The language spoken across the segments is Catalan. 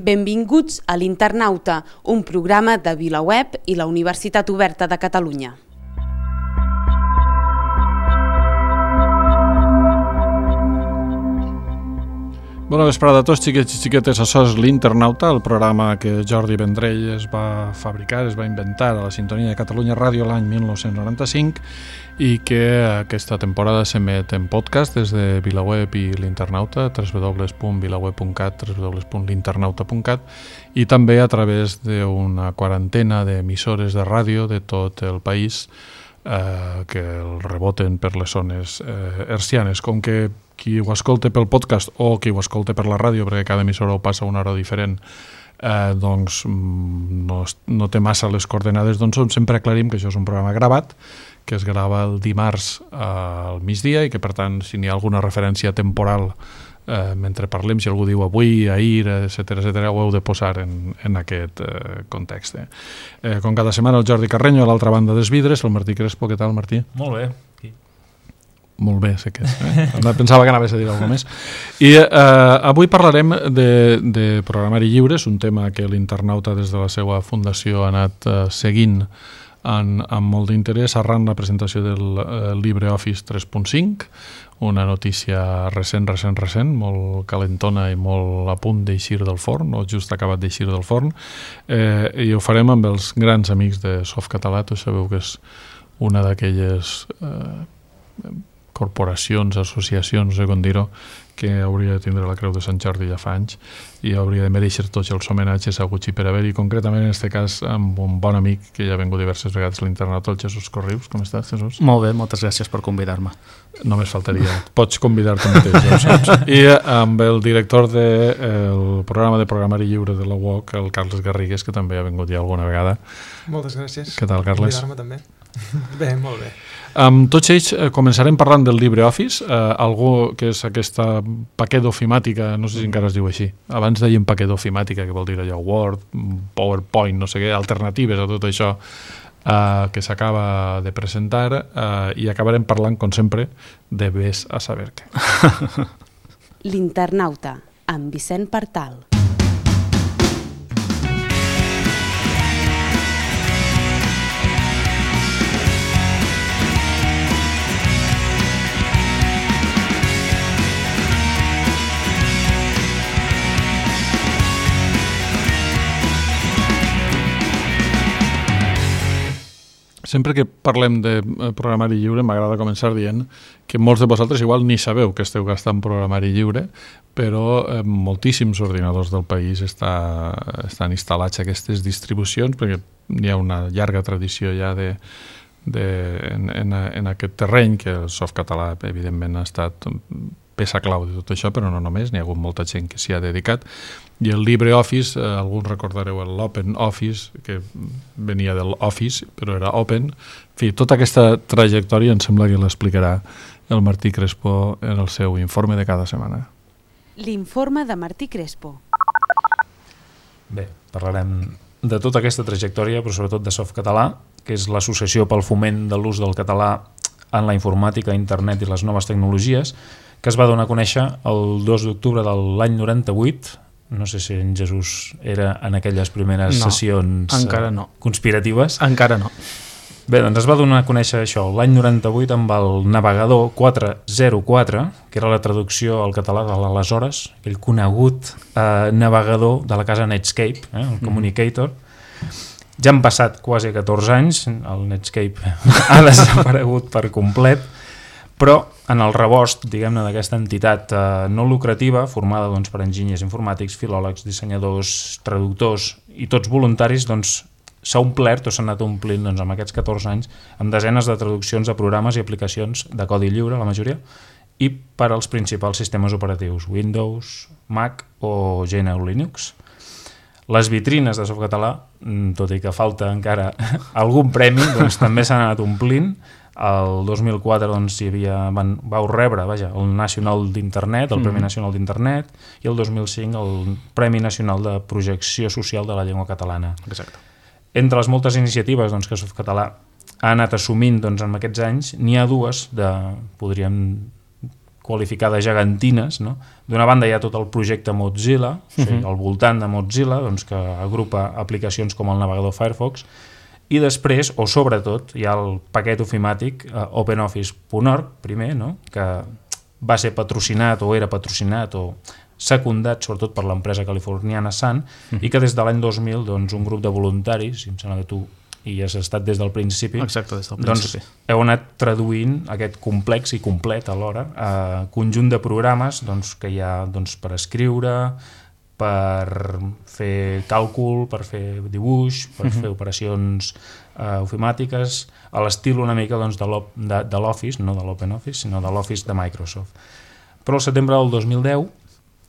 Benvinguts a l'Internauta, un programa de VilaWeb i la Universitat Oberta de Catalunya. Bona vesprada a tots, xiquets i xiquetes. Això és l'Internauta, el programa que Jordi Vendrell es va fabricar, es va inventar a la sintonia de Catalunya Ràdio l'any 1995 i que aquesta temporada s'emet en podcast des de VilaWeb i l'Internauta, www.vilaweb.cat, www.l'internauta.cat, i també a través d'una quarantena d'emissores de ràdio de tot el país que el reboten per les zones hertzianes. Com que qui ho escolta pel podcast o qui ho escolta per la ràdio, perquè cada emissora ho passa a una hora diferent, doncs no té massa les coordenades, doncs sempre aclarim que això és un programa gravat, que es grava el dimarts al migdia i que, per tant, si n'hi ha alguna referència temporal mentre parlem, si algú diu avui, ahir, etc., ho heu de posar en aquest context. Com cada setmana, el Jordi Carreño, a l'altra banda dels vidres, el Martí Crespo. Què tal, Martí? Molt bé. Molt bé, sé que pensava que anaves a dir alguna més. I avui parlarem de programari lliure, és un tema que l'Internauta des de la seva fundació ha anat seguint amb molt d'interès arran la presentació del LibreOffice 3.5, una notícia recent, molt calentona i molt a punt d'eixir del forn, o just acabat d'eixir del forn, i ho farem amb els grans amics de Softcatalà. Tu sabeu que és una d'aquelles corporacions, associacions, no sé com dir-ho, que hauria de tindre la Creu de Sant Jordi ja fa anys i hauria de mereixer tots els homenatges haguts i per haver, i concretament en aquest cas amb un bon amic que ja ha vingut diverses vegades a l'Internauta, el Jesús Corrius. Com estàs, Jesús? Molt bé, moltes gràcies per convidar-me. Només faltaria, pots convidar-te mateix, ja ho saps. I amb el director del programa de programari lliure de la UOC, el Carles Garrigues, que també ha vingut ja alguna vegada. Moltes gràcies. Què tal, Carles? Convidar-me també. Bé, molt bé. Amb tots ells començarem parlant del LibreOffice, algú que és aquesta paquet ofimàtica, no sé si encara es diu així. Abans deien paquet ofimàtica, que vol dir allò Word, PowerPoint, no sé què, alternatives a tot això que s'acaba de presentar, i acabarem parlant, com sempre, de vés a saber què. L'Internauta, amb Vicent Partal. Sempre que parlem de programari lliure m'agrada començar dient que molts de vosaltres igual ni sabeu que esteu gastant programari lliure, però moltíssims ordinadors del país estan instal·lats a aquestes distribucions, perquè hi ha una llarga tradició ja en aquest terreny, que el Softcatalà evidentment ha estat peça clau de tot això, però no només, n'hi ha hagut molta gent que s'hi ha dedicat. I el LibreOffice, alguns recordareu l'OpenOffice, que venia del Office, però era Open. En fi, tota aquesta trajectòria em sembla que l'explicarà el Martí Crespo en el seu informe de cada setmana. L'informe de Martí Crespo. Bé, parlarem de tota aquesta trajectòria, però sobretot de Softcatalà, que és l'associació pel foment de l'ús del català en la informàtica, internet i les noves tecnologies, que es va donar a conèixer el 2 d'octubre de l'any 98. No sé si en Jesús era en aquelles primeres sessions conspiratives. Encara no. Bé, doncs es va donar a conèixer això l'any 98 amb el navegador 404, que era la traducció al català de l'aleshores, aquell conegut navegador de la casa Netscape, el Communicator. Ja han passat quasi 14 anys, el Netscape ha desaparegut per complet, però en el rebost, diguem-ne, d'aquesta entitat no lucrativa, formada doncs, per enginyers informàtics, filòlegs, dissenyadors, traductors i tots voluntaris, doncs, s'ha omplert o s'ha anat omplint doncs, amb aquests 14 anys amb desenes de traduccions de programes i aplicacions de codi lliure, la majoria, i per als principals sistemes operatius, Windows, Mac o GNU Linux. Les vitrines de Softcatalà, tot i que falta encara algun premi, doncs, també s'han anat omplint. El 2004 doncs, vau rebre el Nacional d'Internet, el Premi Nacional d'Internet, i el 2005 el Premi Nacional de Projecció Social de la Llengua Catalana. Exacte. Entre les moltes iniciatives doncs, que Softcatalà ha anat assumint doncs, en aquests anys, n'hi ha dues podríem qualificar de gegantines, no? D'una banda hi ha tot el projecte Mozilla, o sigui, al voltant de Mozilla, doncs, que agrupa aplicacions com el navegador Firefox, i després, o sobretot, hi ha el paquet ofimàtic OpenOffice.org, primer, no? Que va ser patrocinat o era patrocinat o secundat sobretot per l'empresa californiana Sun, i que des de l'any 2000 doncs, un grup de voluntaris, i em sembla que tu hi has estat des del principi, exacte, des del principi. Doncs, heu anat traduint aquest complex i complet alhora a conjunt de programes doncs, que hi ha doncs, per escriure, per fer càlcul, per fer dibuix, per fer operacions ofimàtiques, a l'estil una mica doncs, de l'Office, no de l'OpenOffice, sinó de l'Office de Microsoft. Però al setembre del 2010,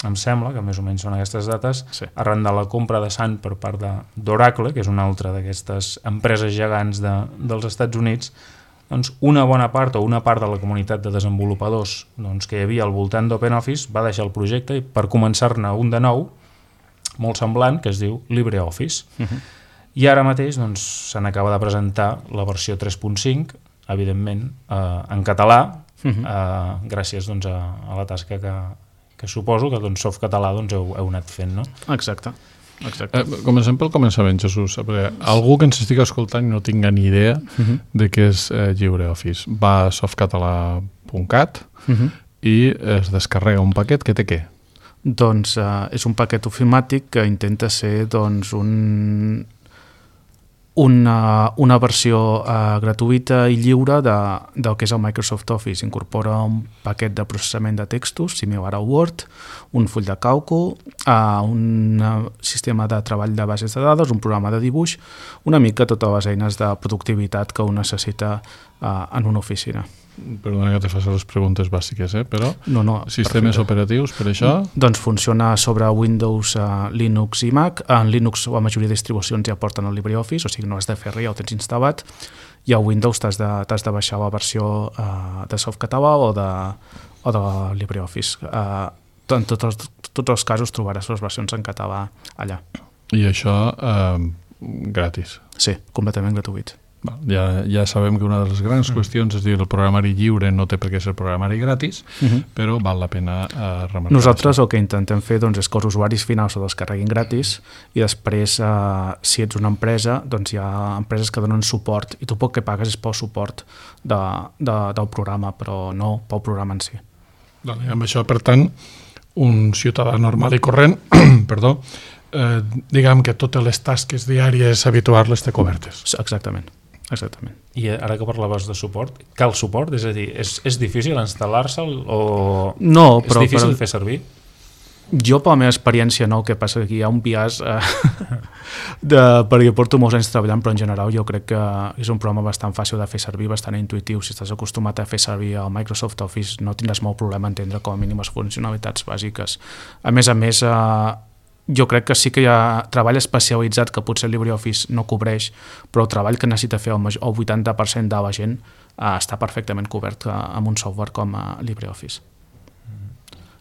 em sembla que més o menys són aquestes dates, sí, arran de la compra de Sun per part d'Oracle, que és una altra d'aquestes empreses gegants dels Estats Units, doncs una bona part o una part de la comunitat de desenvolupadors doncs, que hi havia al voltant d'OpenOffice va deixar el projecte i per començar-ne un de nou, molt semblant, que es diu LibreOffice. I ara mateix doncs, se n'acaba de presentar la versió 3.5, evidentment en català, gràcies doncs, a la tasca que suposo que doncs, Softcatalà doncs, heu anat fent, no? Exacte. Comencem pel començament, Jesús, perquè algú que ens estigui escoltant i no tinga ni idea de què és LibreOffice. Va a softcatalà.cat i es descarrega un paquet que té què? Doncs és un paquet ofimàtic que intenta ser doncs, una versió gratuïta i lliure del que és el Microsoft Office. Incorpora un paquet de processament de textos, similar a Word, un full de càlcul, un sistema de treball de bases de dades, un programa de dibuix, una mica totes les eines de productivitat que un necessita en una oficina. Perdona que te faci les preguntes bàsiques, però no, sistemes operatius per això? Doncs funciona sobre Windows, Linux i Mac. En Linux la majoria de distribucions ja porten el LibreOffice, o sigui no has de fer res, ja ho tens instal·lat, i a Windows t'has de baixar la versió de Softcatalà o de LibreOffice. En tots els casos trobaràs les versions en català allà. I això gratis? Sí, completament gratuït. Ja sabem que una de les grans qüestions és dir el programari lliure no té per què ser programari gratis, però val la pena remarcar. Nosaltres el que intentem fer doncs, és que els usuaris finals ho descarreguin gratis i després, si ets una empresa, doncs hi ha empreses que donen suport i tu el que pagues és pel suport del programa, però no pel programa en si. Amb això, per tant, un ciutadà normal i corrent, perdó, diguem que totes les tasques diàries habituals té cobertes. Exactament. I ara que parlaves de suport, cal suport? És a dir, és difícil instal·lar-se'l o no, però, és difícil fer servir? Jo, per la meva experiència, no, el que passa que hi ha un biaix perquè porto molts anys treballant, però en general jo crec que és un programa bastant fàcil de fer servir, bastant intuïtiu. Si estàs acostumat a fer servir el Microsoft Office no tindràs molt problema a entendre com a mínim les funcionalitats bàsiques. A més, jo crec que sí que hi ha treball especialitzat que potser LibreOffice no cobreix, però el treball que necessita fer el 80% de la gent està perfectament cobert amb un software com LibreOffice.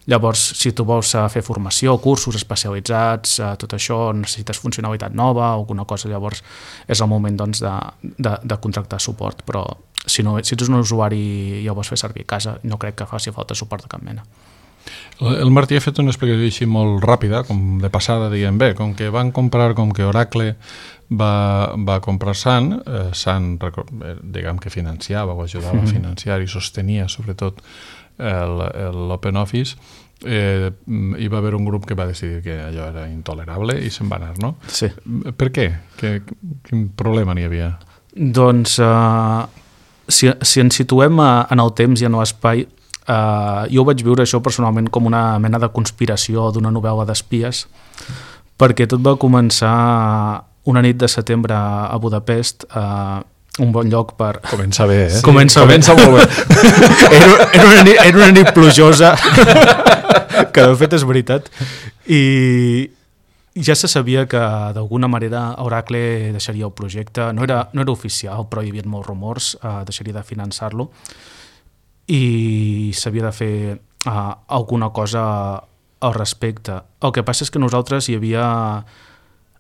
Llavors, si tu vols fer formació, cursos especialitzats, tot això, necessites funcionalitat nova o alguna cosa, llavors és el moment doncs, de contractar suport, però si ets un usuari i el vols fer servir a casa, no crec que faci falta suport de cap mena. El Martí ha fet una explicació així molt ràpida, com de passada, diguem bé, com que Oracle va comprar Sun, diguem que financiava o ajudava a financiar i sostenia sobretot l'OpenOffice, hi va haver un grup que va decidir que allò era intolerable i se'n va anar, no? Sí. Per què? Quin problema n'hi havia? Doncs, si ens situem en el temps i en l'espai, jo vaig viure això personalment com una mena de conspiració d'una novel·la d'espies, perquè tot va començar una nit de setembre a Budapest, un bon lloc per... Comença bé, eh? Sí, comença molt bé. Era una nit plujosa, que de fet és veritat, i ja se sabia que d'alguna manera Oracle deixaria el projecte, no era oficial, però hi havia molts rumors, deixaria de finançar-lo, i s'havia de fer alguna cosa al respecte. El que passa és que nosaltres hi havia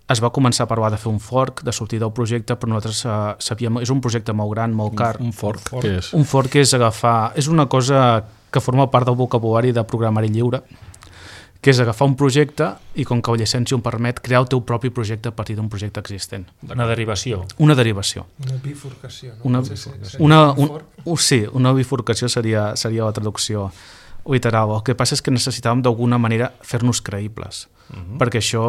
es va començar a provar de fer un fork, de sortir del projecte, però nosaltres sabíem... És un projecte molt gran, molt car. Un fork, què és? Un fork és agafar... És una cosa que forma part del vocabulari de programari lliure, que és agafar un projecte i, com que la llicència ho permet, crear el teu propi projecte a partir d'un projecte existent. Una derivació. Una derivació. Una bifurcació, no? Sí, una bifurcació seria la traducció literal. El que passa és que necessitàvem d'alguna manera fer-nos creïbles, perquè això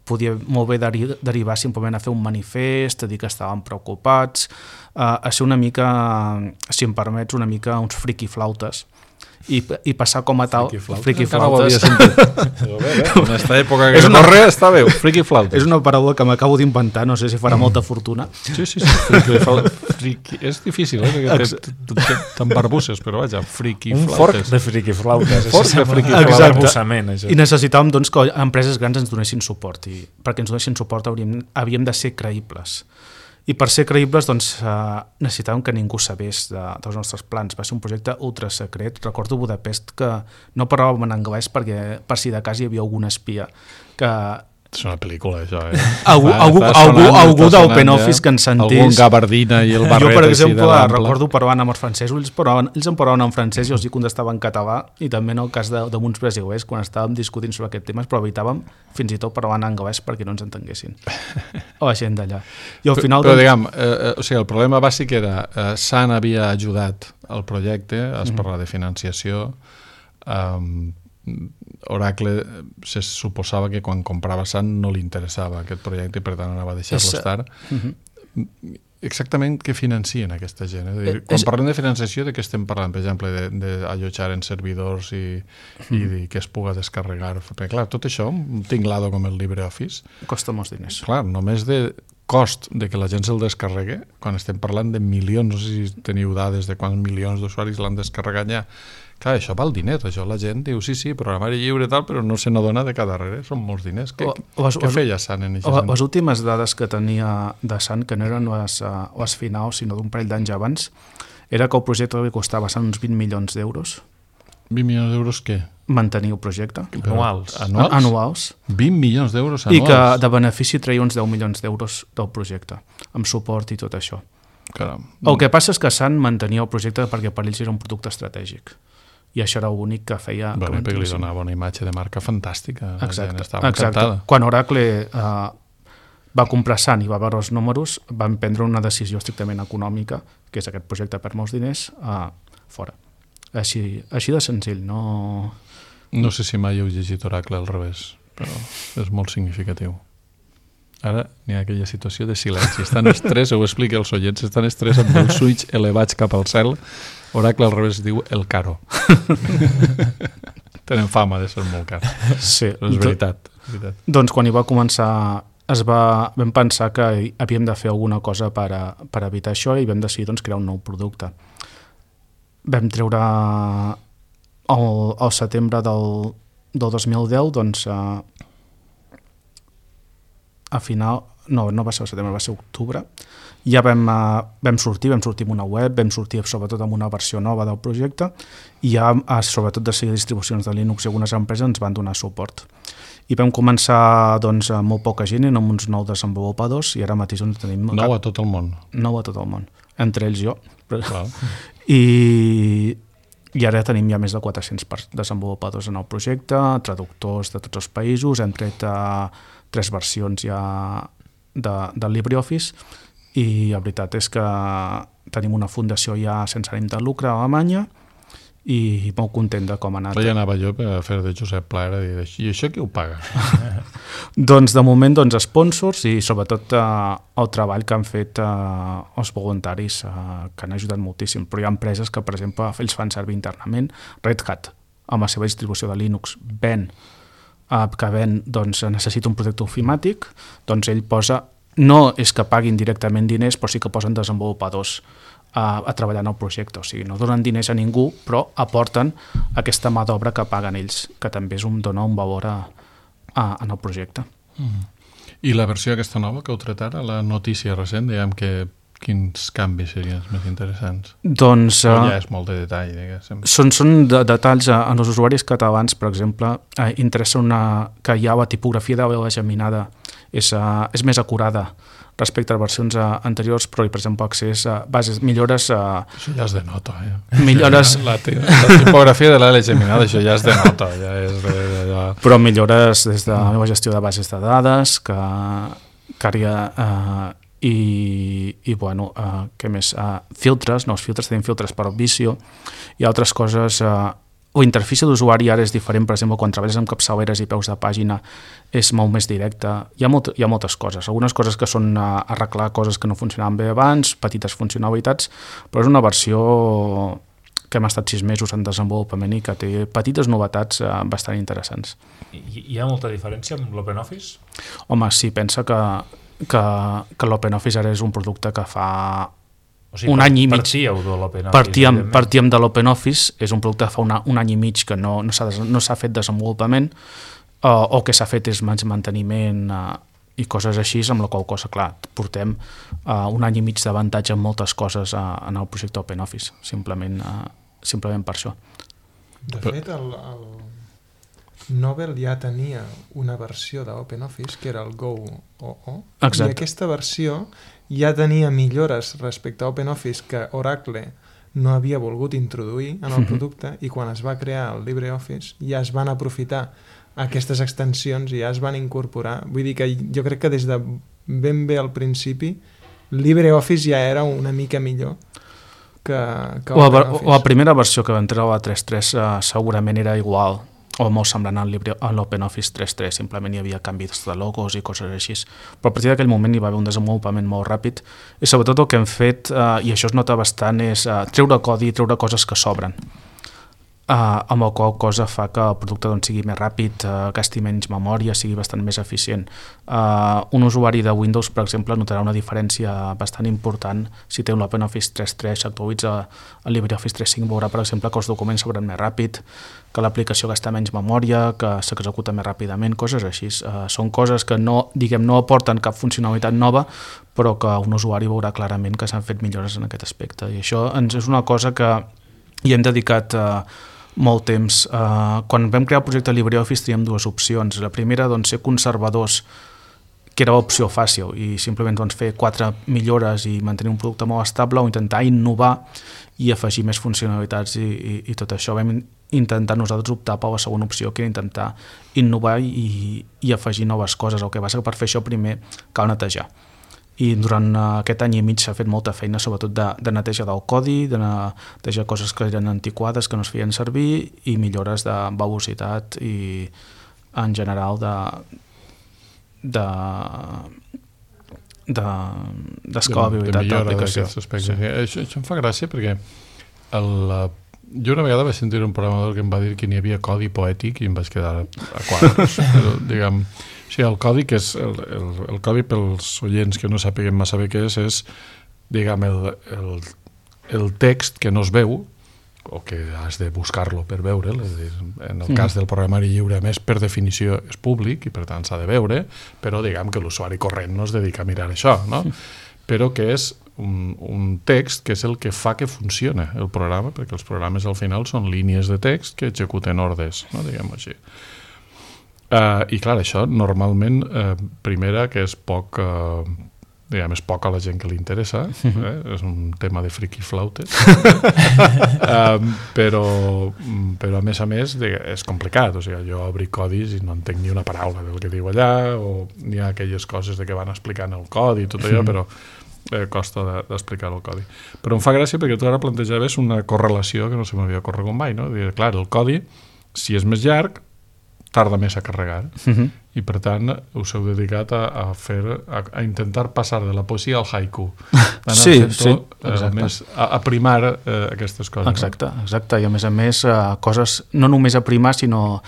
podia molt bé derivar simplement a fer un manifest, a dir que estàvem preocupats, a ser una mica, si em permets, una mica uns friquiflautes, i passar com a tal... Friquiflautes. En aquesta època que corre està bé, friquiflautes. És una paraula que m'acabo d'inventar, no sé si farà molta fortuna. Sí. És difícil, t'embarbusses, però vaja, friquiflautes. Un fork de friquiflautes. Exacte. I necessitàvem doncs, que empreses grans ens donessin suport, i perquè ens donessin suport havíem de ser creïbles. I per ser creïbles doncs, necessitàvem que ningú sabés dels nostres plans. Va ser un projecte ultra secret. Recordo Budapest que no parlàvem en anglès perquè per si de cas hi havia algun espia que... És una pel·lícula, això, Algú d'OpenOffice que ens sentís... Algun gabardina i el barret. Jo, per exemple, recordo parlant amb els francesos, ells em parlaven en francès i els contestaven en català, i també en el cas d'uns brasilers, quan estàvem discutint sobre aquest tema, però evitàvem fins i tot parlar en anglès perquè no ens entenguessin. O la gent d'allà. I al final... Però, diguem, el problema bàsic era SAN havia ajudat al projecte, es parla de financiació, Oracle se suposava que quan comprava SAN no li interessava aquest projecte i per tant anava a deixar-lo estar. Exactament què financien aquesta gent? Quan parlem de financiació, de què estem parlant? Per exemple, d'allotjar en servidors i que es puga descarregar. Perquè, clar, tot això, un tinglado com el LibreOffice... Costa molts diners. Clar, només de cost de que la gent se'l descarregui, quan estem parlant de milions, no sé si teniu dades de quants milions d'usuaris l'han descarregat ja. Clar, això val diners, això la gent diu sí, programari lliure i tal, però no se n'adona de cada darrere, són molts diners. Què feia SAN en això? Les últimes dades que tenia de SAN, que no eren les finals, sinó d'un parell d'anys abans, era que el projecte li costava SAN uns 20 milions d'euros. 20 milions d'euros què? Mantenir el projecte. Anuals? 20 milions d'euros anuals? I que de benefici treia uns 10 milions d'euros del projecte, amb suport i tot això. Caram. El que passa és que SAN mantenia el projecte perquè per ells era un producte estratègic. I això era l'únic que feia... Perquè li donava una imatge de marca fantàstica. Exacte. Quan Oracle va comprar SAN i va veure els números, van prendre una decisió estrictament econòmica, que és aquest projecte per molts diners, fora. Així de senzill, no... No sé si mai heu llegit Oracle al revés, però és molt significatiu. Ara n'hi ha aquella situació de silenci. Estan els tres, ho explica als oients, estan els tres amb els ulls elevats cap al cel. Oracle al revés diu el caro. Tenen fama de ser molt cars. Sí. Però és veritat. Doncs quan hi va començar vam pensar que havíem de fer alguna cosa per evitar això i vam decidir crear un nou producte. Vam treure al setembre del 2010 a final, no va ser al setembre, va ser octubre, ja vam sortir amb una web, vam sortir sobretot amb una versió nova del projecte i ja sobretot de seguir distribucions de Linux i algunes empreses ens van donar suport. I vam començar amb molt poca gent, amb uns 9 desenvolupadors i ara mateix tenim... 9 a tot el món. 9 a tot el món, entre ells jo. Clar. I ara tenim ja més de 400 desenvolupadors en el projecte, traductors de tots els països, hem tret 3 versions ja de LibreOffice i la veritat és que tenim una fundació ja sense ànim de lucre a Alemanya i molt content de com ha anat. Ja anava jo per fer de Josep Pla i dir, i això qui ho paga? Doncs de moment sponsors i sobretot el treball que han fet els voluntaris que han ajudat moltíssim, però hi ha empreses que per exemple ells fan servir internament. Red Hat amb la seva distribució de Linux que necessita un projecte ofimàtic, doncs ell posa, no és que paguin directament diners, però sí que posen desenvolupadors a treballar en el projecte, o sigui, no donen diners a ningú, però aporten aquesta mà d'obra que paguen ells, que també dona un valor en el projecte. I la versió aquesta nova que heu tret ara, la notícia recent, diguem que quins canvis serien els més interessants? Doncs... ja és molt de detall, diguéssim. Són detalls en els usuaris catalans, per exemple, interessa que hi ha la tipografia de la geminada és més acurada respecte a versions anteriors, però per exemple accés a bases, millores això ja es denota, millores la tipografia de l'Àlex Geminada, això ja es denota, però millores des de la meva gestió de bases de dades que i bueno, què més? Filtres, nous filtres, tenim filtres per Visio i altres coses. La interfície d'usuari ara és diferent, per exemple, quan treballes amb capçaleres i peus de pàgina és molt més directa. Hi ha moltes coses, algunes coses que són arreglar coses que no funcionaven bé abans, petites funcionalitats, però és una versió que hem estat 6 mesos en desenvolupament i que té petites novetats bastant interessants. Hi ha molta diferència amb l'OpenOffice? Home, sí, pensa que l'OpenOffice ara és un producte que fa un any i mig. Partíem de l'OpenOffice, és un producte que fa un any i mig que no s'ha fet desenvolupament o que s'ha fet és manteniment i coses així, amb la qual cosa, clar, portem un any i mig d'avantatge en moltes coses en el projecte OpenOffice, simplement per això. De fet, el Novell ja tenia una versió d'OpenOffice que era el Go OO, i aquesta versió ja tenia millores respecte a OpenOffice que Oracle no havia volgut introduir en el producte, i quan es va crear el LibreOffice ja es van aprofitar aquestes extensions i ja es van incorporar. Vull dir que jo crec que des de ben bé al principi LibreOffice ja era una mica millor que OpenOffice. La primera versió que va entrar a la 3.3 segurament era igual o molt semblant a l'OpenOffice 3.3, simplement hi havia canvis de logos i coses així, però a partir d'aquell moment hi va haver un desenvolupament molt ràpid i sobretot el que hem fet, i això es nota bastant, és treure codi i treure coses que sobren, amb el qual cosa fa que el producte sigui més ràpid, gasti menys memòria, sigui bastant més eficient. Un usuari de Windows, per exemple, notarà una diferència bastant important si té un OpenOffice 3.3, s'actualitza el LibreOffice 3.5, veurà, per exemple, que els documents s'obren més ràpid, que l'aplicació gasta menys memòria, que s'executa més ràpidament, coses així. Són coses que no aporten cap funcionalitat nova, però que un usuari veurà clarament que s'han fet millores en aquest aspecte. I això és una cosa que hi hem dedicat molt temps. Quan vam crear el projecte LibreOffice teníem 2 opcions. La primera, ser conservadors, que era l'opció fàcil, i simplement fer 4 millores i mantenir un producte molt estable, o intentar innovar i afegir més funcionalitats i tot això. Vam intentar nosaltres optar per la segona opció, que era intentar innovar i afegir noves coses. El que passa que per fer això primer cal netejar. I durant aquest any i mig s'ha fet molta feina, sobretot de neteja del codi, de netejar coses que eren antiquades, que no es feien servir, i millores de velocitat i en general d'escalabilitat de l'aplicació. Això em fa gràcia perquè jo una vegada vaig sentir un programador que em va dir que n'hi havia codi poètic i em vaig quedar a quadres. Però, diguem, el codi, que és el codi pels oients que no sàpiguen massa bé què és, diguem, el text que no es veu o que has de buscar-lo per veure'l, és a dir, en el cas del programari lliure, més per definició és públic i per tant s'ha de veure, però diguem que l'usuari corrent no es dedica a mirar això, no? Però que és un text que és el que fa que funcione el programa, perquè els programes al final són línies de text que executen ordres, no? Diguem-ho així. I clar, això normalment, primera, que és poc diguem, és poc a la gent que li interessa, és un tema de friki flautes, però a més és complicat, o sigui, jo obri codis i no entenc ni una paraula del que diu allà, o n'hi ha aquelles coses de que van explicant el codi i tot allò, però costa d'explicar el codi. Però em fa gràcia perquè tu ara plantejaves una correlació que no se m'havia corregut mai, no? Dir, clar, el codi, si és més llarg, tarda més a carregar, i per tant us heu dedicat a intentar passar de la poesia al haiku, a primar aquestes coses. Exacte, i a més coses no només a primar, sinó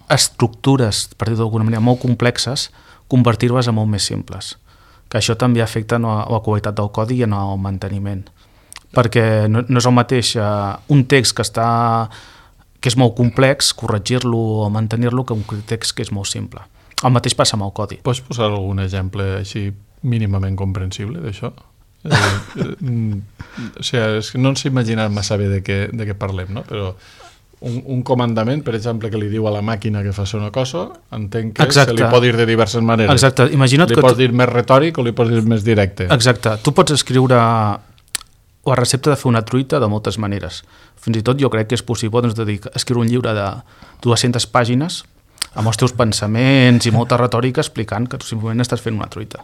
estructures, per dir-ho d'alguna manera, molt complexes, convertir-les en molt més simples, que això també afecta a la qualitat del codi i al manteniment, perquè no és el mateix un text que és molt complex, corregir-lo o mantenir-lo, que un text que és molt simple. El mateix passa amb el codi. Pots posar algun exemple així mínimament comprensible d'això? O sigui, és que no ens imaginat massa bé de què parlem, no? Però un comandament, per exemple, que li diu a la màquina que faci una cosa, entenc que Exacte. se li pot dir de diverses maneres. Exacte. Imagina't li que pots dir més retòric o li pots dir més directe. Exacte. Tu pots escriure la recepta de fer una truita de moltes maneres. Fins i tot jo crec que és possible escriure un llibre de 200 pàgines amb els teus pensaments i molta retòrica explicant que tu simplement estàs fent una truita.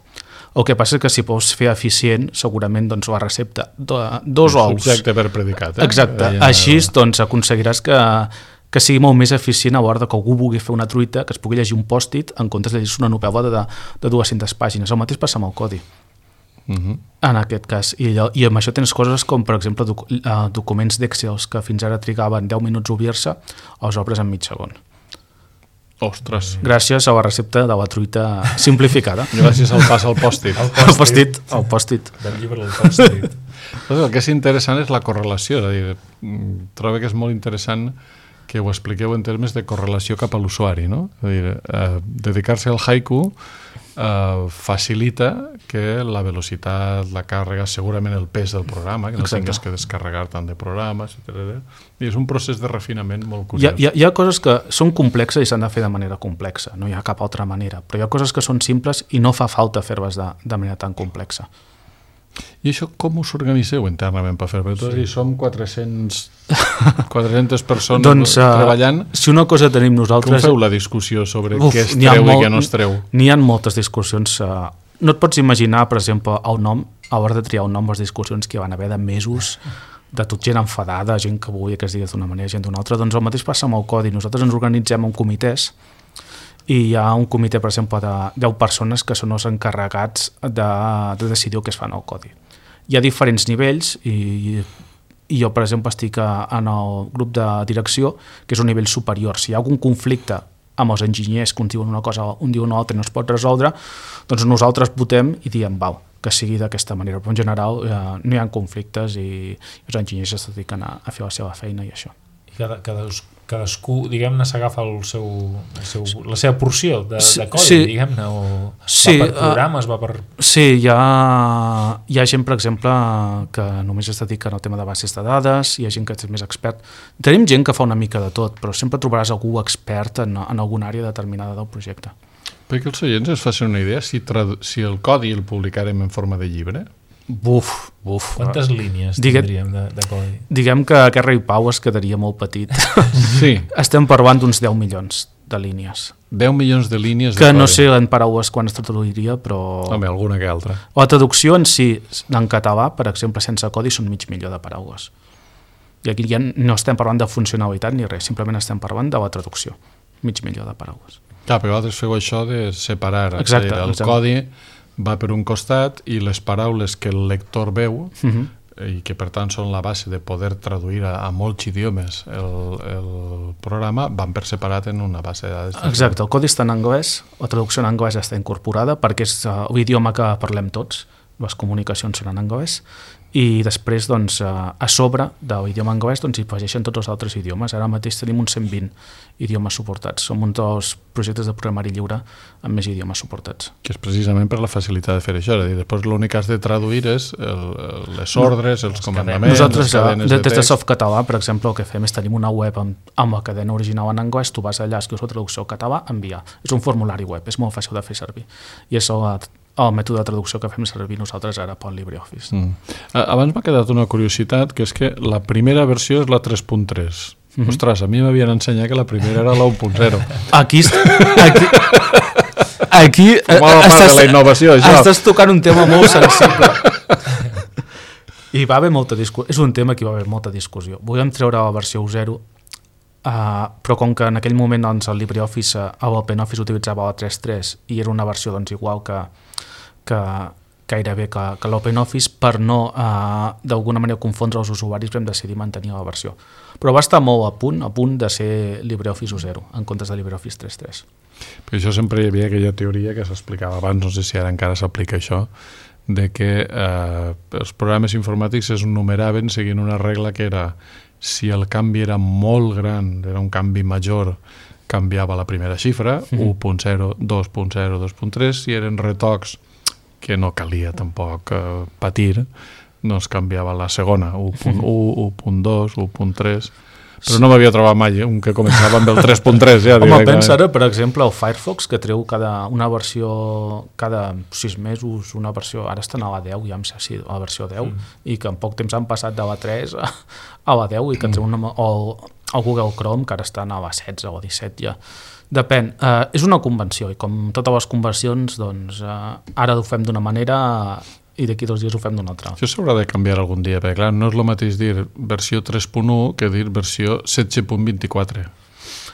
El que passa és que si pots fer eficient, segurament doncs, la recepta de 2 ous... Subjecte per predicat. Exacte. Així doncs, aconseguiràs que sigui molt més eficient a l'hora que algú vulgui fer una truita, que es pugui llegir un pòst-it en comptes de llegir una novel·la de 200 pàgines. El mateix passa amb el codi. En aquest cas. I amb això tens coses com, per exemple, documents d'Excel que fins ara trigaven 10 minuts a obrir-se, els obres en mig segon. Ostres. Gràcies a la recepta de la truita simplificada. Gràcies al pas al pòstit. El pòstit. Del llibre del pòstit. El que és interessant és la correlació. És a dir, trobo que és molt interessant que ho expliqueu en termes de correlació cap a l'usuari. No? És a dir, dedicar-se al haiku facilita que la velocitat, la càrrega, segurament el pes del programa, que no tingues que descarregar tant de programes, etc. I és un procés de refinament molt curiós. Hi ha coses que són complexes i s'han de fer de manera complexa, no hi ha cap altra manera, però hi ha coses que són simples i no fa falta fer-les de manera tan complexa. I això com us organitzeu internament per fer-ho? Sí. Som 400 persones treballant. Si una cosa tenim nosaltres... Com feu la discussió sobre què es treu i què no es treu? N'hi ha moltes discussions. No et pots imaginar, per exemple, el nom, a l'hora de triar un nom, les discussions que van haver de mesos, de tot gent enfadada, gent que volia que es digués d'una manera, gent d'una altra. Doncs el mateix passa amb el codi. Nosaltres ens organitzem en comitès i hi ha un comitè, per exemple, de 10 persones que són els encarregats de decidir el que es fa en el codi. Hi ha diferents nivells i jo, per exemple, estic en el grup de direcció, que és un nivell superior. Si hi ha algun conflicte amb els enginyers que un diuen una cosa, un diu una altra i no es pot resoldre, doncs nosaltres votem i diem, que sigui d'aquesta manera. Però en general no hi ha conflictes i els enginyers es dediquen a fer la seva feina i això. I cadascú, diguem-ne, s'agafa la seva porció de codi, diguem-ne, o va per programes, va per... Sí, hi ha gent, per exemple, que només es dedica al tema de bases de dades, hi ha gent que és més expert. Tenim gent que fa una mica de tot, però sempre trobaràs algú expert en alguna àrea determinada del projecte. Perquè els oients es facin una idea, si el codi el publicarem en forma de llibre... Buf. Quantes línies tindríem de codi? Diguem que aquest rei Pau es quedaria molt petit. Sí. Estem parlant d'uns 10 milions de línies. 10 milions de línies que de codi. No sé en paraules quan es traduiria, però... Home, alguna que altra. La traducció en si, en català, per exemple, sense codi, són 500.000 de paraules. I aquí ja no estem parlant de funcionalitat ni res, simplement estem parlant de la traducció. 500.000 de paraules. Clar, però vosaltres feu això de separar. Exacte. El codi va per un costat i les paraules que el lector veu i que per tant són la base de poder traduir a molts idiomes el programa van per separat en una base de dades. Exacte, el codi està en anglès, la traducció en anglès està incorporada perquè és l'idioma que parlem tots, les comunicacions són en anglès, i després doncs, a sobre de l'idioma anglès doncs, hi afegeixen tots els altres idiomes. Ara mateix tenim uns 120 idiomes suportats. Som un dels projectes de programari lliure amb més idiomes suportats. Que és precisament per la facilitat de fer això. És a dir, després l'únic que has de traduir és les ordres, els comandaments, nosaltres, les cadenes de text. Des de Softcatalà, per exemple, el que fem és tenim una web amb la cadena original en anglès, tu vas allà, escrius la traducció al català, enviar. És un formulari web, és molt fàcil de fer servir. I és el mètode de traducció que fem servir nosaltres ara pel LibreOffice. Abans m'ha quedat una curiositat, que és que la primera versió és la 3.3. Ostres, a mi m'havien ensenyat que la primera era la 1.0. Aquí Formava part de la innovació, això. Estàs tocant un tema molt sensible. I va haver molta discussió. És un tema que va haver molta discussió. Volíem treure la versió 0, però com que en aquell moment doncs, el LibreOffice, l'OpenOffice utilitzava la 3.3 i era una versió doncs, igual que gairebé que l'OpenOffice, per no d'alguna manera confondre els usuaris, vam decidir mantenir la versió. Però va estar molt a punt de ser LibreOffice 0 en comptes de LibreOffice 3.3. Perquè això sempre hi havia aquella teoria que s'explicava abans, no sé si ara encara s'aplica això, de que els programes informàtics es numeraven seguint una regla que era si el canvi era molt gran, era un canvi major, canviava la primera xifra, 1.0, 2.0, 2.3, si eren retocs que no calia tampoc patir, doncs canviava la segona, 1.1, 1.2, 1.3, Però no m'havia trobat mai un que començava amb el 3.3 ja. Home, pensa ara, per exemple, el Firefox, que treu una versió cada 6 mesos, una versió, ara estan a la 10, ja em sé si a la versió 10, i que en poc temps han passat de la 3 a la 10, i que treu el Google Chrome, que ara estan a la 16 o a 17 ja. Depèn. És una convenció, i com totes les convencions, doncs, ara ho fem d'una manera i d'aquí 2 dies ho fem d'una altra. Això s'haurà de canviar algun dia, perquè clar, no és el mateix dir versió 3.1 que dir versió 16.24.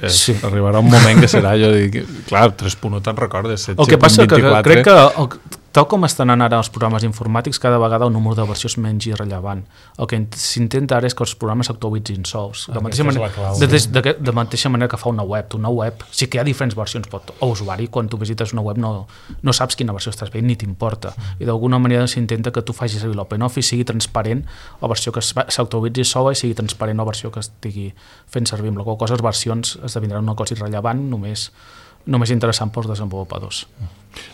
Sí. Arribarà un moment que serà, jo dic, clar, 3.1 te'n recordes, 17.24. El que passa que crec que tal com estan anant ara els programes informàtics, cada vegada el número de versió és menys irrellevant. El que s'intenta ara és que els programes s'actualitzin sols. De mateixa manera que fa una web. Una web, sí que hi ha diferents versions, o usuari, quan tu visites una web no saps quina versió estàs veient ni t'importa. I d'alguna manera s'intenta que tu facis servir l'OpenOffice, sigui transparent la versió que s'actualitzi sola i sigui transparent la versió que estigui fent servir. Amb la qual cosa les versions esdevindran una cosa irrellevant, només interessant pels desenvolupadors.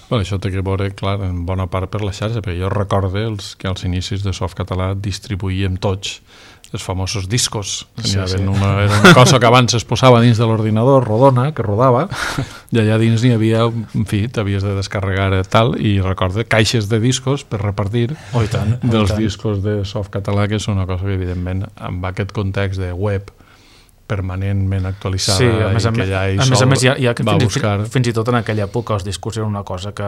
Bueno, això té que veure, clar, en bona part per la xarxa, perquè jo recorde que als inicis de Softcatalà distribuïem tots els famosos discos. Era una cosa que abans es posava dins de l'ordinador, rodona, que rodava, i allà dins n'hi havia, en fi, t'havies de descarregar tal, i recorde caixes de discos per repartir dels discos de Softcatalà, que és una cosa que, evidentment, amb aquest context de web permanentment actualitzada, sí, i que ja a més, va buscar... Fins i tot en aquella època els discos era una cosa que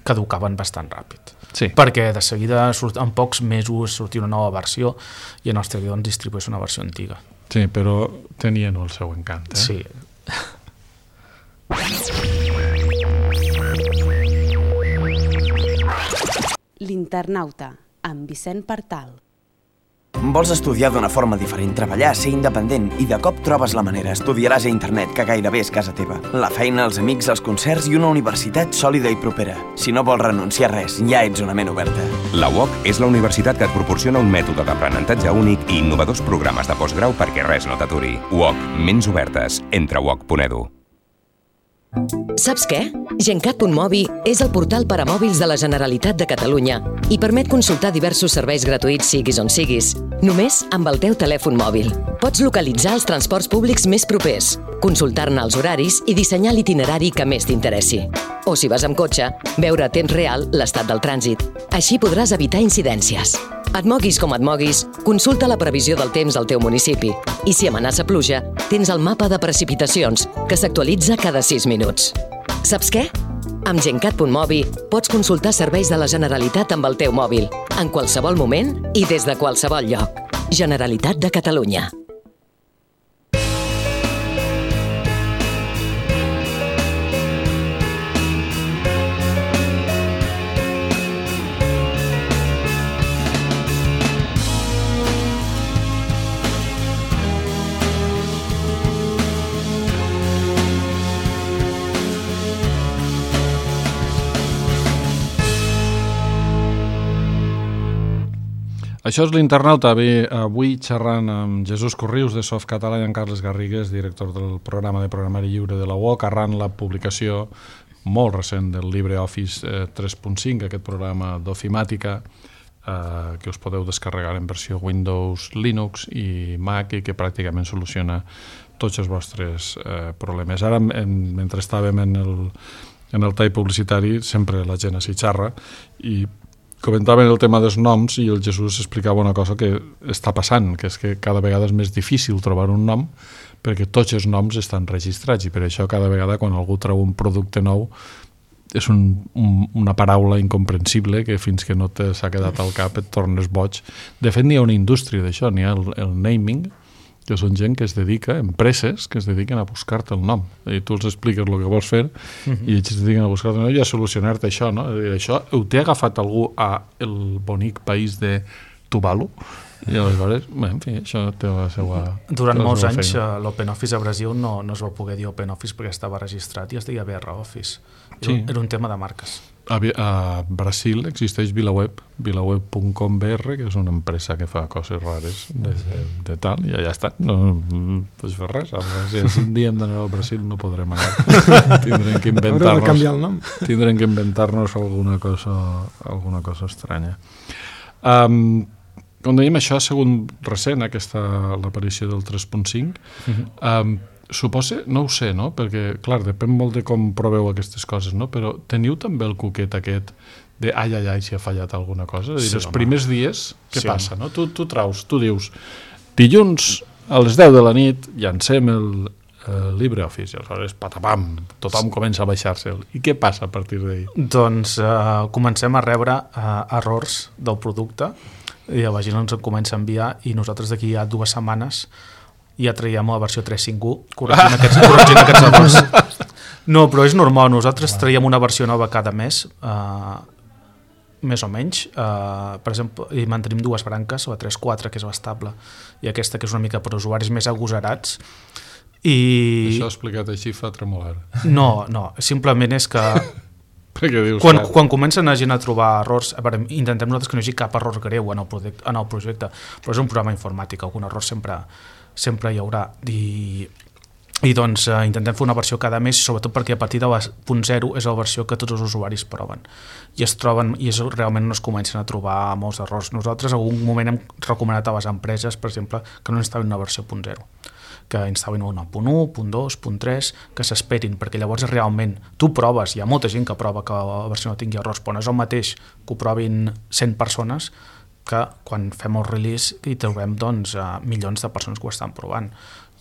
caducaven bastant ràpid. Sí. Perquè de seguida, en pocs mesos, sortia una nova versió i en Nostre doncs distribueix una versió antiga. Sí, però tenien el seu encant. Sí. L'Internauta, amb Vicent Partal. Vols estudiar d'una forma diferent, treballar, ser independent i de cop trobes la manera. Estudiaràs a internet, que gairebé és casa teva. La feina, els amics, els concerts i una universitat sòlida i propera. Si no vols renunciar a res, ja ets una ment oberta. La UOC és la universitat que et proporciona un mètode d'aprenentatge únic i innovadors programes de postgrau perquè res no t'aturi. UOC, ments obertes. Entra a uoc.edu. Saps què? Gencat.mobi és el portal per a mòbils de la Generalitat de Catalunya i permet consultar diversos serveis gratuïts siguis on siguis, només amb el teu telèfon mòbil. Pots localitzar els transports públics més propers, consultar-ne els horaris i dissenyar l'itinerari que més t'interessi. O si vas amb cotxe, veure a temps real l'estat del trànsit. Així podràs evitar incidències. Et moguis com et moguis, consulta la previsió del temps al teu municipi. I si amenaça pluja, tens el mapa de precipitacions, que s'actualitza cada 6 minuts. Saps què? Amb Gencat.mobi pots consultar serveis de la Generalitat amb el teu mòbil, en qualsevol moment i des de qualsevol lloc. Generalitat de Catalunya. Això és l'Internauta, avui xerrant amb Jesús Corrius de Softcatalà i en Carles Garrigues, director del programa de programari lliure de la UOC, arran la publicació molt recent del LibreOffice 3.5, aquest programa d'ofimàtica que us podeu descarregar en versió Windows, Linux i Mac i que pràcticament soluciona tots els vostres problemes. Ara, mentre estàvem en el tall publicitari, sempre la gent s'hi xarra i comentaven el tema dels noms i el Jesús explicava una cosa que està passant, que és que cada vegada és més difícil trobar un nom perquè tots els noms estan registrats i per això cada vegada quan algú treu un producte nou és una paraula incomprensible que fins que no s'ha quedat al cap et tornes boig. De fet, n'hi ha una indústria d'això, n'hi ha el naming, que són gent que es dedica, empreses que es dediquen a buscar-te el nom. I tu els expliques el que vols fer i ells es dediquen a buscar-te el nom i a solucionar-te això, no? Això ho té agafat algú al bonic país de Tuvalu? I aleshores, en fi, això té la seva... Durant molts anys l'OpenOffice a Brasil no es va poder dir OpenOffice perquè estava registrat i es deia BROffice. Era un tema de marques. A Brasil existeix VilaWeb, vilaweb.com.br, que és una empresa que fa coses rares de tal, i ja està. No pots fer res. Si un dia hem d'anar al Brasil no podrem anar. Tindrem que inventar-nos alguna cosa estranya. com dèiem, això ha sigut recent, l'aparició del 3.5. Suposa, no ho sé, no? Perquè, clar, depèn molt de com proveu aquestes coses, no? Però teniu també el cuquet aquest de ai, si ha fallat alguna cosa? És a dir, els primers dies, què passa, no? Tu dius, dilluns a les 10 de la nit llancem el LibreOffice, i aleshores, patapam, tothom comença a baixar-se'l. I què passa a partir d'ahir? Doncs comencem a rebre errors del producte, i la pàgina ens en comença a enviar, i nosaltres d'aquí a 2 setmanes ja traiem la versió 3.5.1 corregint aquests errors. No, però és normal, nosaltres traiem una versió nova cada mes, més o menys, per exemple, i mantenim 2 branques, la 3.4, que és l'estable, i aquesta, que és una mica per usuaris més agosarats. Això explicat així fa tremolar. No, simplement és que quan comencen la gent a trobar errors, intentem nosaltres que no hi hagi cap error greu en el projecte, però és un programa informàtic, algun error sempre hi haurà, i doncs intentem fer una versió cada mes, sobretot perquè a partir de la .0 és la versió que tots els usuaris proven i es troben, i realment no es comencen a trobar molts errors. Nosaltres en algun moment hem recomanat a les empreses, per exemple, que no instal·lin una versió .0, que instal·lin una .1, .2, .3, que s'esperin, perquè llavors realment tu proves, hi ha molta gent que prova que la versió no tingui errors, però no és el mateix que ho provin 100 persones que quan fem el release i trobem doncs, milions de persones que ho estan provant.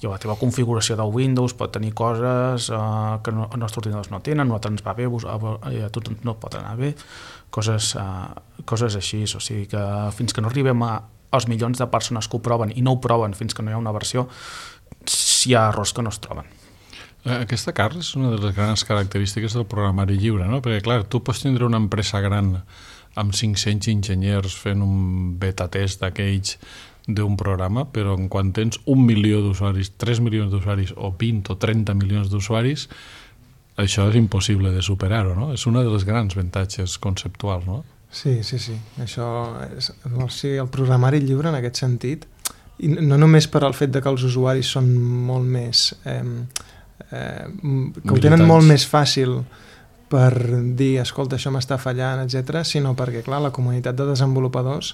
I la teva configuració del Windows pot tenir coses que els nostres ordinadors no tenen, a nosaltres ens va bé, a tu no pot anar bé, coses així. O sigui que fins que no arribem als milions de persones que ho proven i no ho proven fins que no hi ha una versió, hi ha errors que no es troben. Aquesta, Carles, és una de les grans característiques del programari lliure, no? Perquè, clar, tu pots tindre una empresa gran amb 500 enginyers fent un beta test d'aquells d'un programa, però quan tens 1 milió d'usuaris, 3 milions d'usuaris o 20 o 30 milions d'usuaris, això és impossible de superar-ho, no? És una de les grans avantatges conceptuals, no? Sí. Això és, el programari lliure en aquest sentit, i no només per al fet de que els usuaris són molt més que ho tenen molt més fàcil per dir, escolta, això m'està fallant, etc., sinó perquè, clar, la comunitat de desenvolupadors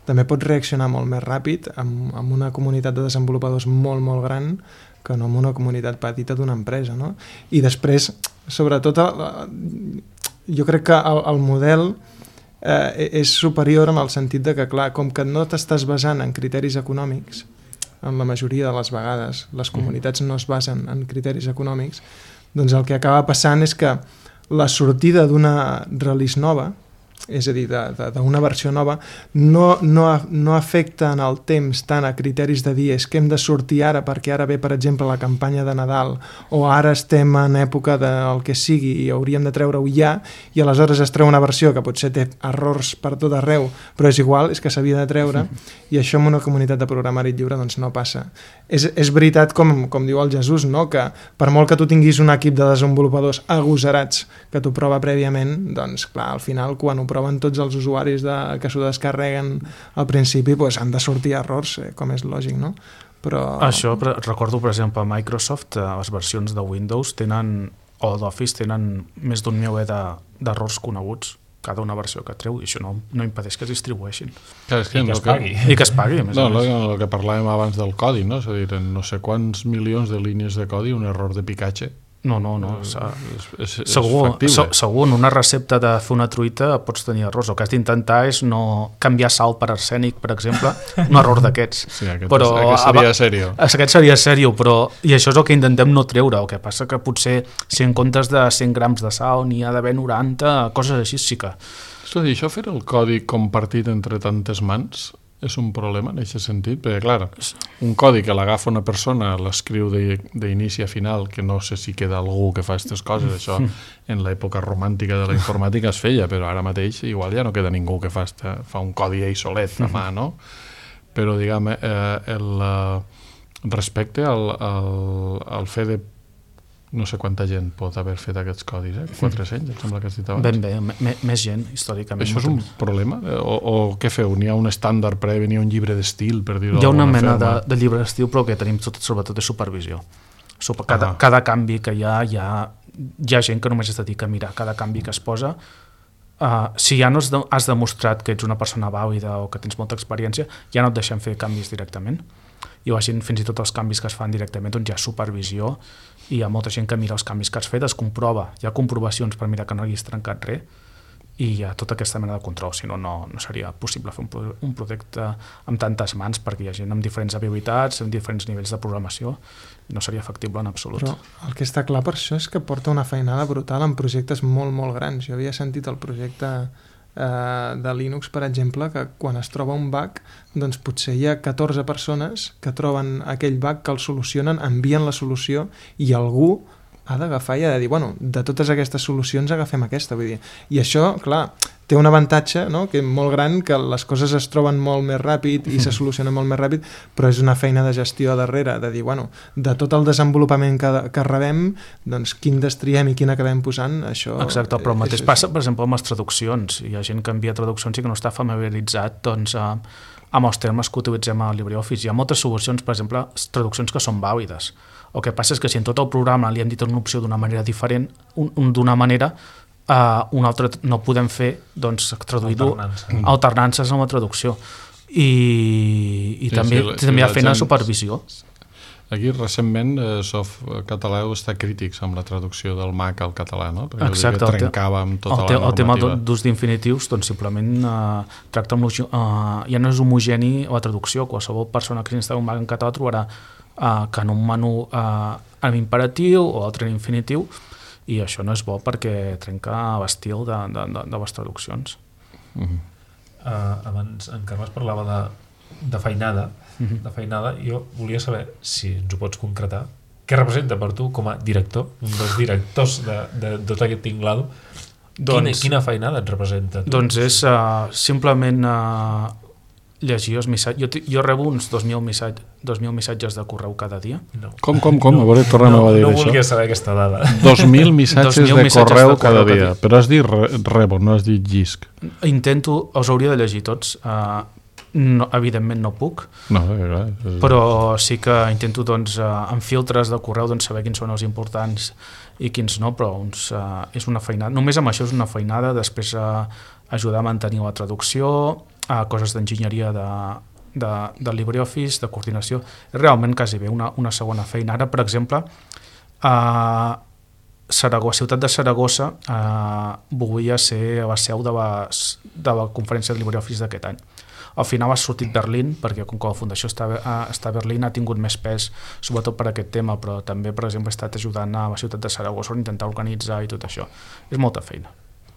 també pot reaccionar molt més ràpid amb una comunitat de desenvolupadors molt, molt gran que no amb una comunitat petita d'una empresa, no? I després, sobretot, jo crec que el model és superior en el sentit de que, clar, com que no t'estàs basant en criteris econòmics, en la majoria de les vegades les comunitats no es basen en criteris econòmics, doncs el que acaba passant és que la sortida d'una release nova, és a dir, d'una versió nova, no afecta en el temps tant a criteris de dir és que hem de sortir ara perquè ara ve, per exemple, la campanya de Nadal o ara estem en època del que sigui i hauríem de treure-ho ja, i aleshores es treu una versió que potser té errors per tot arreu, però és igual, és que s'havia de treure, i això en una comunitat de programari lliure doncs no passa. És veritat, com diu el Jesús, no? Que per molt que tu tinguis un equip de desenvolupadors agosarats que t'ho prova prèviament, doncs clar, al final quan ho proven tots els usuaris que s'ho descarreguen al principi, doncs han de sortir errors, com és lògic, no? Però... Això, recordo, per exemple, a Microsoft, les versions de Windows o d'Office tenen més d'un miler d'errors coneguts, cada una versió que treu, i això no impedeix que es distribueixin. Clar, és que I que es pagui, a més a més. El que parlàvem abans del codi, no? És a dir, en no sé quants milions de línies de codi, un error de picatge. No. És factible. Segur, en una recepta de fer una truita pots tenir errors. El que has d'intentar és no canviar sal per arsènic, per exemple, un error d'aquests. Sí, aquest seria sèrio. Aquest seria sèrio, i això és el que intentem no treure. El que passa que potser si en comptes de 100 grams de sal n'hi ha d'haver 90, coses així sí que... És a dir, això fer el codi compartit entre tantes mans és un problema en aquest sentit, perquè clar, un codi que l'agafa una persona, l'escriu d'inici a final, que no sé si queda algú que fa aquestes coses, això en l'època romàntica de la informàtica es feia, però ara mateix igual ja no queda ningú que fa un codi ell solet a mà, no? Però diguem, respecte al fet de no sé quanta gent pot haver fet aquests codis, 400, em sembla que has dit abans. Ben bé, més gent, històricament. Això és un problema? O què feu? N'hi ha un estàndard previ, n'hi ha un llibre d'estil, per dir-ho d'alguna forma? Hi ha una mena de llibre d'estil, però el que tenim sobretot és supervisió. Cada canvi que hi ha gent que només es dedica a mirar cada canvi que es posa si ja no has demostrat que ets una persona vàlida o que tens molta experiència, ja no et deixem fer canvis directament. I la gent, fins i tot els canvis que es fan directament, doncs hi ha supervisió i hi ha molta gent que mira els canvis que has fet, es comprova, hi ha comprovacions per mirar que no haguis trencat res, i hi ha tota aquesta mena de control, si no, no seria possible fer un projecte amb tantes mans, perquè hi ha gent amb diferents habilitats, amb diferents nivells de programació, i no seria factible en absolut. Però el que està clar per això és que porta una feinada brutal en projectes molt, molt grans. Jo havia sentit el projecte de Linux, per exemple, que quan es troba un bug, doncs potser hi ha 14 persones que troben aquell bug, que el solucionen, envien la solució, i algú ha d'agafar i ha de dir, bueno, de totes aquestes solucions agafem aquesta, vull dir. I això, clar, té un avantatge, no?, que és molt gran, que les coses es troben molt més ràpid i se solucionen molt més ràpid, però és una feina de gestió darrere, de dir, bueno, de tot el desenvolupament que rebem, doncs quin destriem i quin acabem posant, això... Exacte, però el mateix passa, per exemple, amb les traduccions. Hi ha gent que envia traduccions i que no està familiaritzat, doncs, amb els termes que utilitzem a LibreOffice. Hi ha moltes solucions, per exemple, traduccions que són vàlides. El que passa és que si en tot el programa li hem dit una opció d'una manera diferent, d'una manera, una altra no podem fer, doncs, traduir-ho alternances amb la traducció. I també hi ha feina de supervisió. Aquí, recentment, Softcatalà està crítics amb la traducció del Mac al català, no? Perquè exacte, trencava amb tota la normativa. El tema d'ús d'infinitius, doncs simplement tracta amb ja no és homogeni la traducció. Qualsevol persona que s'instal·la un Mac en català trobarà que en un menú en imperatiu o altre en infinitiu, i això no és bo perquè trenca l'estil de les traduccions. Abans en Carles parlava de feinada, jo volia saber, si ens ho pots concretar, què representa per tu com a director, un dels directors de tot aquest tinglado, quina feinada et representa? Doncs és simplement llegir els missatges. Jo rebo uns 2.000 missatges de correu cada dia. No. Com? A veure, tornem a dir això. No volia saber aquesta dada. 2.000 missatges de correu cada dia. Però has dit rebo, no has dit llisc. Intento, els hauria de llegir tots. No, evidentment no puc, però sí que intento, doncs, amb filtres de correu, doncs, saber quins són els importants i quins no, però és una feinada. Només amb això és una feinada. Després ajudar a mantenir la traducció, coses d'enginyeria de LibreOffice, de coordinació. És realment quasi bé una segona feina. Ara, per exemple, a Ciutat de Saragossa volia ser la seu de la conferència de LibreOffice d'aquest any. Al final ha sortit Berlín, perquè com que la fundació està a Berlín ha tingut més pes, sobretot per aquest tema, però també, per exemple, he estat ajudant a la ciutat de Saragossa a intentar organitzar i tot això. És molta feina.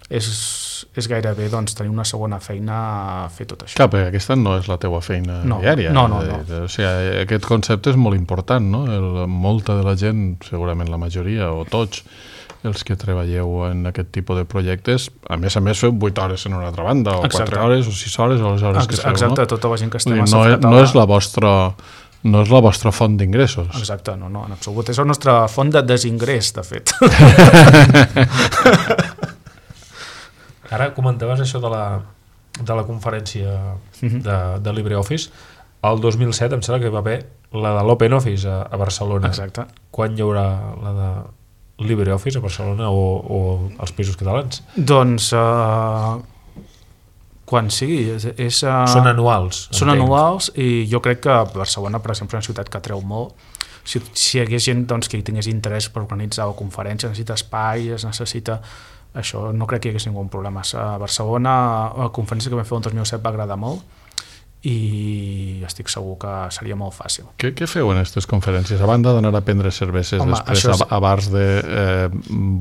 És gairebé, doncs, tenir una segona feina a fer tot això. Clar, perquè aquesta no és la teua feina diària. No. O sigui, aquest concepte és molt important, no? Molta de la gent, segurament la majoria, o tots, els que treballeu en aquest tipus de projectes, a més feu 8 hores en una altra banda, o 4 hores, o 6 hores, o les hores que feu, no? Exacte, tota la gent que estem a Softcatalà. No és la vostra font d'ingressos. Exacte, no, en absolut. És la nostra font de desingrés, de fet. Ara comentaves això de la conferència de LibreOffice. El 2007 em sembla que va haver la de l'OpenOffice a Barcelona. Exacte. Quan hi haurà la de LibreOffice a Barcelona o als Països Catalans? Doncs quan sigui. Són anuals. Són anuals, i jo crec que Barcelona, per exemple, és una ciutat que atreu molt. Si hi hagués gent, doncs, que hi tingués interès per organitzar la conferència, necessita espai, necessita... Això no crec que hi hagués ningú problema. A Barcelona, la conferència que vam fer el 2007 va agradar molt, i estic segur que seria molt fàcil. Què feu en aquestes conferències? A banda d'anar a prendre cerveses després a bars de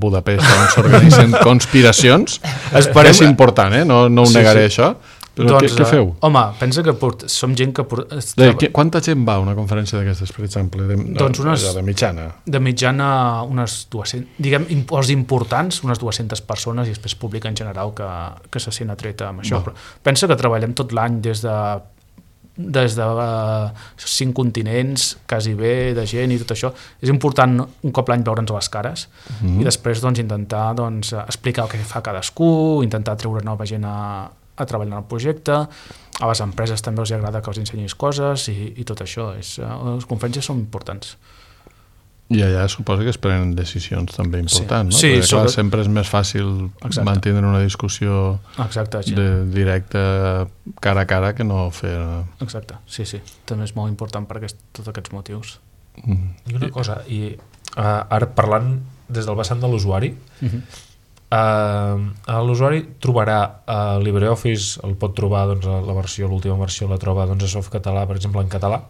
Budapest on s'organitzen conspiracions, és important, no ho negaré això, però doncs, què feu? Home, pensa que som gent que... Quanta gent va a una conferència d'aquestes, per exemple, de mitjana? De mitjana unes 200, diguem, els importants, unes 200 persones, i després públic en general que se sent atreta amb això. Però pensa que treballem tot l'any des de 5 continents, quasi bé, de gent i tot això. És important un cop l'any veure'ns les cares i després, doncs, intentar, doncs, explicar el que fa cadascú, intentar treure nova gent a treballar en el projecte. A les empreses també els agrada que els ensenyis coses i tot això. Les conferències són importants. I allà suposo que es prenen decisions també importants, no? Sí, perquè clar, sempre és més fàcil mantenir una discussió directa cara a cara que no fer... Exacte, sí, també és molt important per tots aquests motius. I una cosa, ara parlant des del vessant de l'usuari, l'usuari trobarà LibreOffice, el pot trobar, doncs, l'última versió la troba a Softcatalà, per exemple, en català.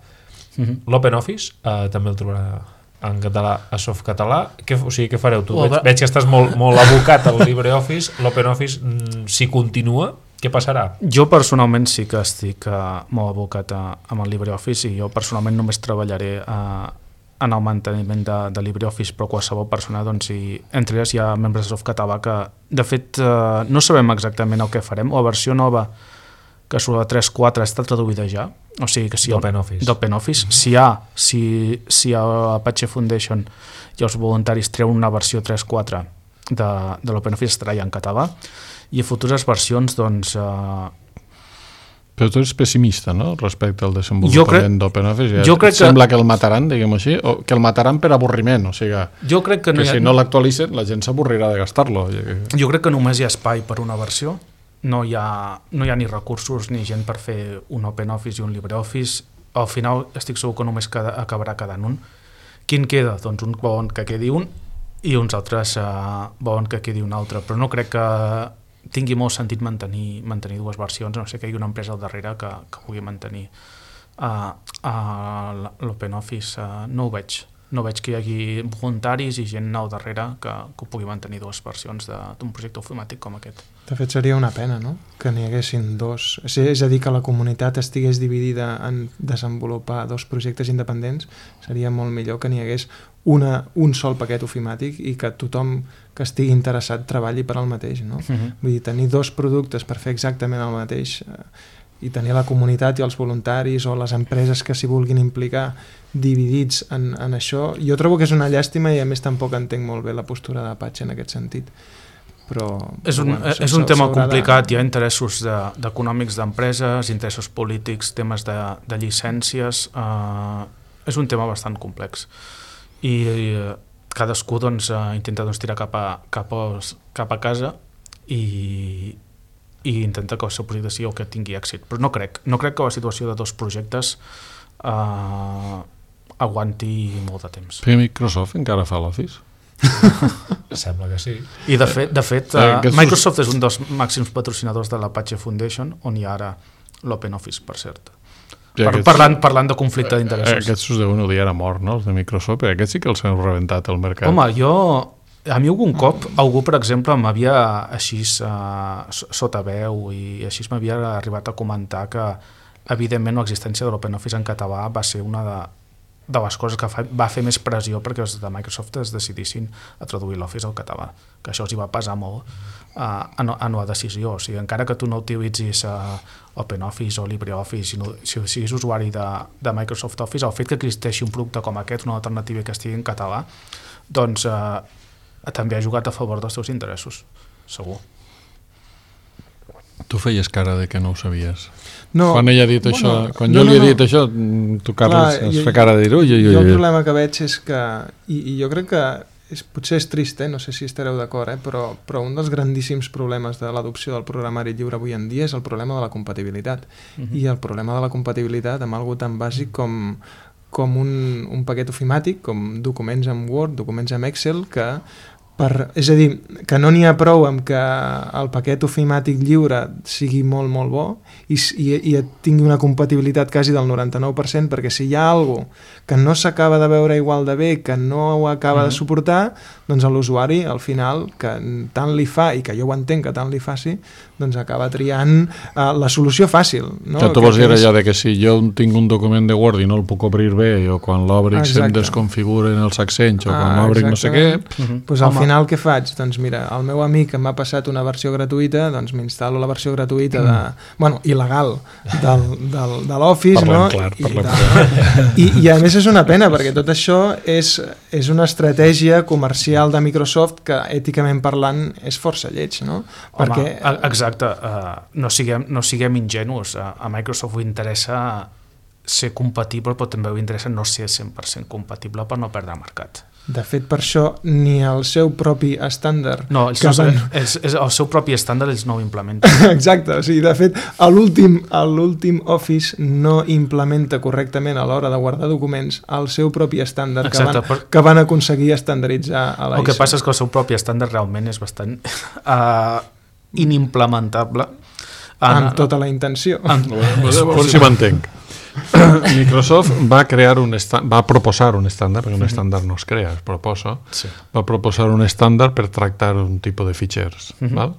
L'OpenOffice també el trobarà en català a Softcatalà. O sigui, què fareu tu? Veig que estàs molt abocat al LibreOffice. L'OpenOffice, si continua, què passarà? Jo personalment sí que estic molt abocat amb el LibreOffice i jo personalment només treballaré en el manteniment de LibreOffice, però qualsevol persona, doncs, entre elles hi ha membres de Softcatalà que, de fet, no sabem exactament el que farem. La versió nova que surt a 3.4 està traduïda ja, o sigui que si d'OpenOffice, si a Apache Foundation i els voluntaris treuen una versió 3.4 de l'OpenOffice estarà ja en català, i a futures versions, doncs... Però tu ets pessimista, no?, respecte al desenvolupament d'OpenOffice. Sembla que el mataran, diguem-ho així, o que el mataran per avorriment, o sigui, que si no l'actualitzen la gent s'avorrirà de gastar-lo. Jo crec que només hi ha espai per una versió. No hi ha ni recursos ni gent per fer un OpenOffice i un LibreOffice. Al final estic segur que només acabarà quedant un. Quin queda? Doncs un volen que quedi un i uns altres volen que quedi un altre, però no crec que tingui molt sentit mantenir dues versions, no sé que hi hagi una empresa al darrere que pugui mantenir l'OpenOffice. No ho veig que hi hagi voluntaris i gent al darrere que pugui mantenir dues versions d'un projecte ofimàtic com aquest. De fet, seria una pena, no?, que n'hi haguessin dos. És a dir, que la comunitat estigués dividida en desenvolupar dos projectes independents. Seria molt millor que n'hi hagués un sol paquet ofimàtic i que tothom que estigui interessat treballi per al mateix, no? Vull dir, tenir dos productes per fer exactament el mateix i tenir la comunitat i els voluntaris o les empreses que s'hi vulguin implicar dividits en això, jo trobo que és una llàstima i a més tampoc entenc molt bé la postura d'Apache en aquest sentit. Però, és un tema complicat, hi ha interessos econòmics d'empreses, interessos polítics, temes de llicències, és un tema bastant complex i cadascú intenta tirar cap a casa i intenta que el seu projecte sigui el que tingui èxit, però no crec que la situació de dos projectes aguanti molt de temps. Però Microsoft encara fa l'Office? Sembla que sí. I de fet Microsoft és un dels màxims patrocinadors de l'Apache Foundation, on hi ha ara l'OpenOffice, per cert. Parlant de conflicte d'interessos. Aquests us deuen odiar a mort, no?, els de Microsoft, perquè aquests sí que els han rebentat al mercat. Home, a mi algun cop algú, per exemple, m'havia així sota veu i així m'havia arribat a comentar que evidentment l'existència de l'OpenOffice en català va ser una de les coses que va fer més pressió perquè els de Microsoft es decidissin a traduir l'Office al català, que això els hi va pesar molt en la decisió. O sigui, encara que tu no utilitzis OpenOffice o LibreOffice, si siguis usuari de Microsoft Office, el fet que existeixi un producte com aquest, una alternativa que estigui en català, doncs també ha jugat a favor dels teus interessos, segur. Tu feies cara de que no ho sabies. No, quan ella ha dit això, quan jo li he dit això, tu, Carles, has fet cara de dir ui. Jo el problema que veig és que, i jo crec que potser és trist, no sé si estareu d'acord, però un dels grandíssims problemes de l'adopció del programari lliure avui en dia és el problema de la compatibilitat. I el problema de la compatibilitat amb algo tan bàsic com un paquet ofimàtic, com documents en Word, documents en Excel, és a dir, que no n'hi ha prou amb que el paquet ofimàtic lliure sigui molt, molt bo i tingui una compatibilitat quasi del 99%, perquè si hi ha alguna cosa que no s'acaba de veure igual de bé, que no ho acaba de suportar, doncs l'usuari, al final, que tant li fa, i que jo ho entenc que tant li faci, doncs acaba triant la solució fàcil. No? Que tu vols dir allò de que si jo tinc un document de Word i no el puc obrir bé, o quan l'obric se'm desconfiguren els accents, o quan l'obric no sé què... Doncs al final què faig? Doncs mira, el meu amic m'ha passat una versió gratuïta, doncs m'instal·lo la versió gratuïta il·legal de l'Office, no? I a més és una pena, perquè tot això és una estratègia comercial de Microsoft que èticament parlant és força lleig, no? Home, exacte, no siguem ingenus, a Microsoft ho interessa ser compatible, però també ho interessa no ser 100% compatible per no perdre mercat. De fet, per això, ni el seu propi estàndard... No, el seu propi estàndard ells no ho implementen. Exacte, o sigui, de fet, l'últim Office no implementa correctament a l'hora de guardar documents el seu propi estàndard que van aconseguir estandarditzar a la ISO. El que passa és que el seu propi estàndard realment és bastant inimplementable. Amb tota la intenció. Per si m'entenc. Microsoft va proposar un estàndard, perquè un estàndard no es crea, es proposa. Va proposar un estàndard per tractar un tipus de fitxers, val?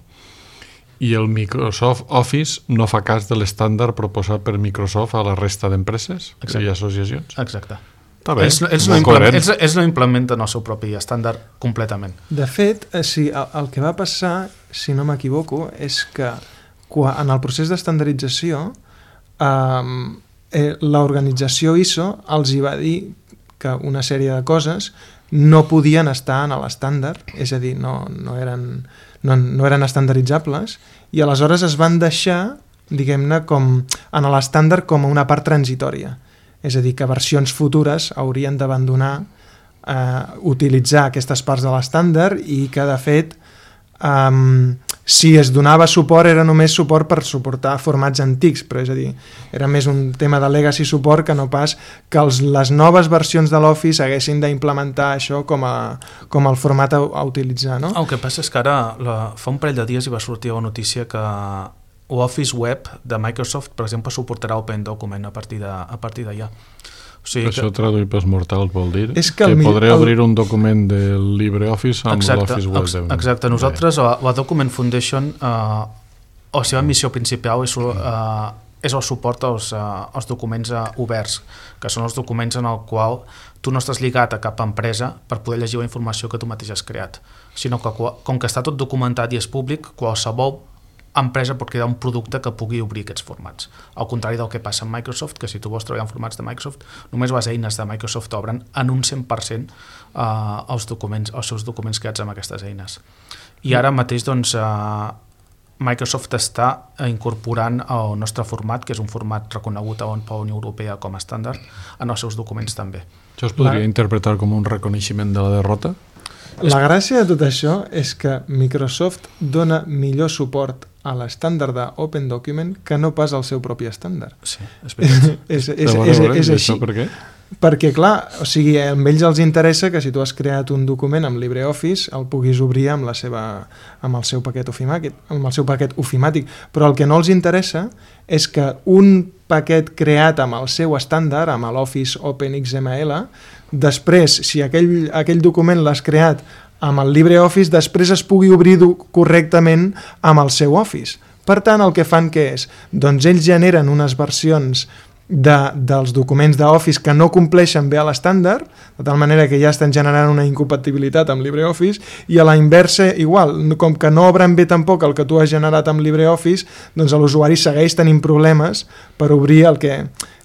I el Microsoft Office no fa cas de l'estàndard proposat per Microsoft a la resta d'empreses i associacions. Exacte. Està bé, ells no implementen el seu propi estàndard completament. De fet, el que va passar, si no m'equivoco, és que en el procés d'estandardització l'organització ISO els hi va dir que una sèrie de coses no podien estar en l'estàndard, és a dir, no eren estandaritzables, i aleshores es van deixar, diguem-ne, en l'estàndard com una part transitòria. És a dir, que versions futures haurien d'abandonar utilitzar aquestes parts de l'estàndard i que, de fet, si es donava suport era només suport per suportar formats antics, però és a dir, era més un tema de legacy support que no pas que les noves versions de l'Office haguessin d'implementar això com el format a utilitzar, no? El que passa és que ara, fa un parell de dies hi va sortir la notícia que l'Office Web de Microsoft, per exemple, suportarà Open Document a partir d'allà. O sigui això traduït pels mortals vol dir que podré obrir un document del LibreOffice amb l'Office Web. Exacte. Nosaltres, la Document Foundation, la seva missió principal és el suport als documents oberts, que són els documents en el qual tu no estàs lligat a cap empresa per poder llegir la informació que tu mateix has creat, sinó que com que està tot documentat i és públic, qualsevol empresa pot crear un producte que pugui obrir aquests formats. Al contrari del que passa amb Microsoft, que si tu vols treballar en formats de Microsoft, només les eines de Microsoft obren en un 100% els seus documents creats amb aquestes eines. I ara mateix, doncs, Microsoft està incorporant el nostre format, que és un format reconegut per la Unió Europea com a estàndard, en els seus documents també. Això es podria interpretar com un reconeixement de la derrota? La gràcia de tot això és que Microsoft dona millor suport a l'estàndard d'Open Document que no pas al seu propi estàndard. Sí, és veritat. És així. Per què? Perquè, clar, o sigui, a ells els interessa que si tu has creat un document amb LibreOffice el puguis obrir amb el seu paquet ofimàtic, però el que no els interessa és que un paquet creat amb el seu estàndard, amb l'Office OpenXML, després, si aquell document l'has creat amb el LibreOffice, després es pugui obrir correctament amb el seu Office. Per tant, el que fan què és? Doncs ells generen unes versions dels documents d'Office que no compleixen bé a l'estàndard, de tal manera que ja estan generant una incompatibilitat amb LibreOffice, i a la inversa igual, com que no obren bé tampoc el que tu has generat amb LibreOffice, doncs l'usuari segueix tenint problemes per obrir el que...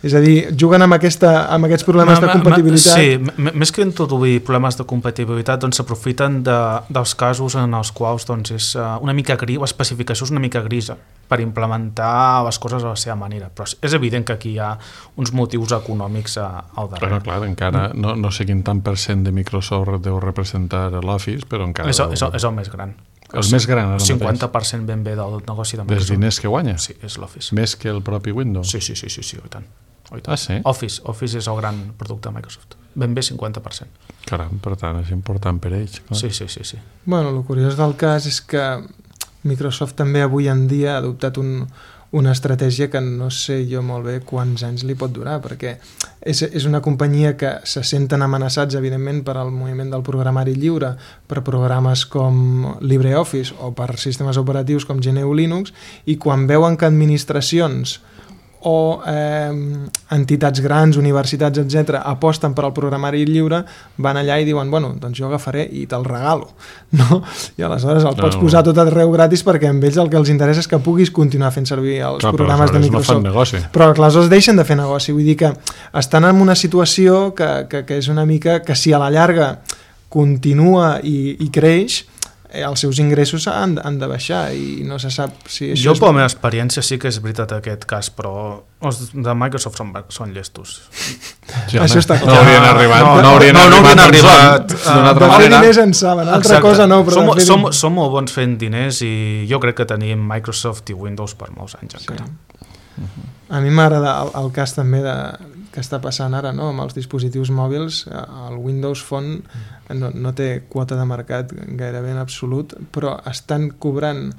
És a dir, juguen amb aquests problemes de compatibilitat. Sí, més que introduir problemes de compatibilitat, doncs s'aprofiten dels casos en els quals doncs, és una mica gris, l'especificació és una mica grisa per implementar les coses a la seva manera. Però és evident que aquí hi ha uns motius econòmics al darrere. Però clar, encara no sé quin tant % de Microsoft deu representar l'Office, però encara... És el més gran. El més gran, el 50% ben bé del negoci de Microsoft. Dels diners que guanya? Sí, és l'Office. Més que el propi Windows? Sí, i tant. Ah, sí? Office és el gran producte de Microsoft. Ben bé 50%. Caram, per tant, és important per ells. Clar. Sí. Bueno, el curiós del cas és que Microsoft també avui en dia ha adoptat una estratègia que no sé jo molt bé quants anys li pot durar, perquè és una companyia que se senten amenaçats, evidentment, per al moviment del programari lliure, per programes com LibreOffice o per sistemes operatius com GNU Linux, i quan veuen que administracions o entitats grans, universitats, etc., aposten per al programari lliure, van allà i diuen, bueno, doncs jo agafaré i te'l regalo, no? I aleshores el pots posar tot arreu gratis perquè amb ells el que els interessa és que puguis continuar fent servir els programes de Microsoft. No fan negoci. Però aleshores deixen de fer negoci, vull dir que estan en una situació que és una mica que si a la llarga continua i creix, els seus ingressos han de baixar i no se sap si això... Jo, per la meva experiència, sí que és veritat aquest cas, però els de Microsoft són llestos. Sí, això està clar. No haurien arribat. No haurien arribat. De fer diners en saben, altra cosa no. Però som molt bons fent diners i jo crec que tenim Microsoft i Windows per molts anys encara. A mi m'agrada el cas també que està passant ara, no? Amb els dispositius mòbils. El Windows Phone no té quota de mercat gairebé en absolut, però estan cobrant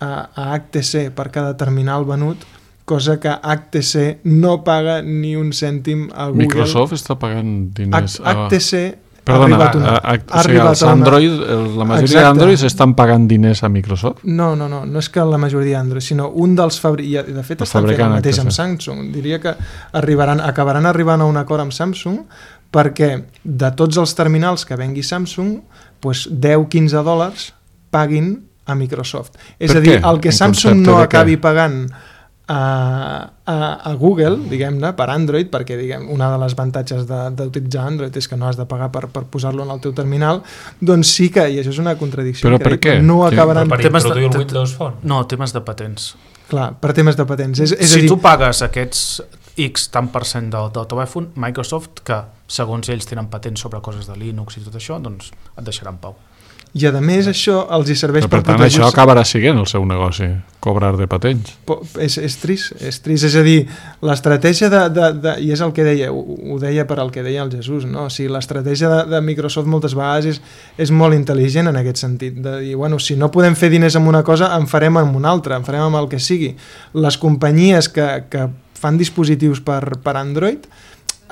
a HTC per cada terminal venut, cosa que HTC no paga ni un cèntim a Google. Microsoft està pagant diners. HTC Perdona, els Android, la majoria d'Android estan pagant diners a Microsoft? No és que la majoria d'Android, sinó un dels fabricants, de fet estan fent el mateix amb Samsung. Diria que acabaran arribant a un acord amb Samsung perquè de tots els terminals que vengui Samsung, $10-15 paguin a Microsoft. És a dir, el que Samsung no acabi pagant a Google, diguem-ne, per Android, perquè una de les avantatges d'utilitzar Android és que no has de pagar per posar-lo en el teu terminal, doncs sí que, i això és una contradicció. Però per què? No acabaran... Per introduir el Windows Phone? No, temes de patents. Clar, per temes de patents. Si tu pagues aquests X tant % del telèfon, Microsoft, que segons ells tenen patents sobre coses de Linux i tot això, doncs et deixarà en pau. I a més això els hi serveix per tant això acabarà sent el seu negoci, cobrar de patents. És trist, és a dir, l'estratègia i és el que deia, ho deia per al que deia el Jesús, no? O sigui, l'estratègia de Microsoft moltes vegades és molt intel·ligent en aquest sentit, de dir, bueno, si no podem fer diners amb una cosa, en farem amb una altra, en farem amb el que sigui. Les companyies que fan dispositius per Android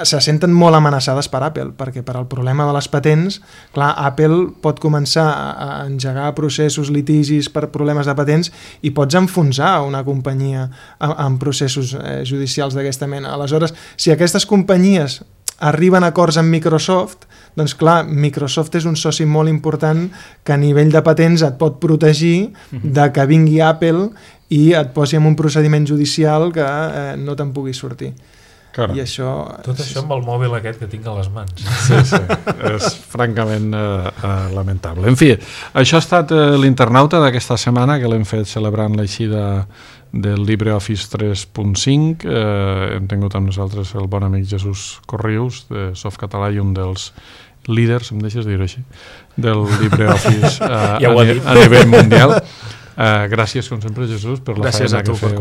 se senten molt amenaçades per Apple, perquè per al problema de les patents, clar, Apple pot començar a engegar processos, litigis per problemes de patents i pots enfonsar una companyia en processos judicials d'aquesta mena. Aleshores, si aquestes companyies arriben a acords amb Microsoft, doncs clar, Microsoft és un soci molt important que a nivell de patents et pot protegir de que vingui Apple i et posi en un procediment judicial que no te'n pugui sortir. Caram. I això... Tot això amb el mòbil aquest que tinc a les mans. Sí, és francament lamentable. En fi, això ha estat l'internauta d'aquesta setmana, que l'hem fet celebrant l'eixida del LibreOffice 3.5. Hem tingut amb nosaltres el bon amic Jesús Corrius, de Softcatalà, i un dels líders, em deixes dir-ho així, del LibreOffice a nivell mundial. Gràcies, com sempre, Jesús, per la feina que feu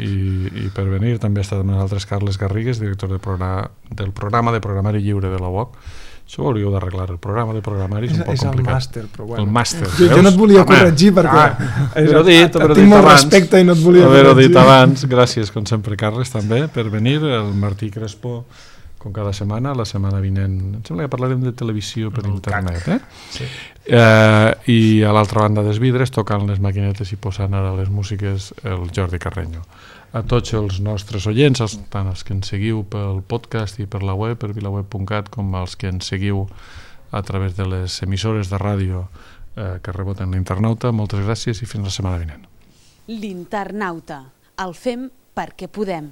i per venir. També ha estat amb nosaltres Carles Garrigues, director del programa de programari lliure de la UOC. Això ho hauríeu d'arreglar, el programa de programari és un poc complicat. És el màster, però bueno. El màster, jo no et volia corregir perquè tinc molt respecte i no et volia corregir. Haver-ho dit abans. Gràcies, com sempre, Carles, també, per venir. El Martí Crespo, com cada setmana, la setmana vinent em sembla que parlarem de televisió per internet, Sí. I a l'altra banda dels vidres, tocant les maquinetes i posant ara les músiques, el Jordi Carreño. A tots els nostres oients, tant els que ens seguiu pel podcast i per la web, per vilaweb.cat, com els que ens seguiu a través de les emissores de ràdio que reboten l'internauta, moltes gràcies i fins la setmana vinent. L'internauta. El fem perquè podem.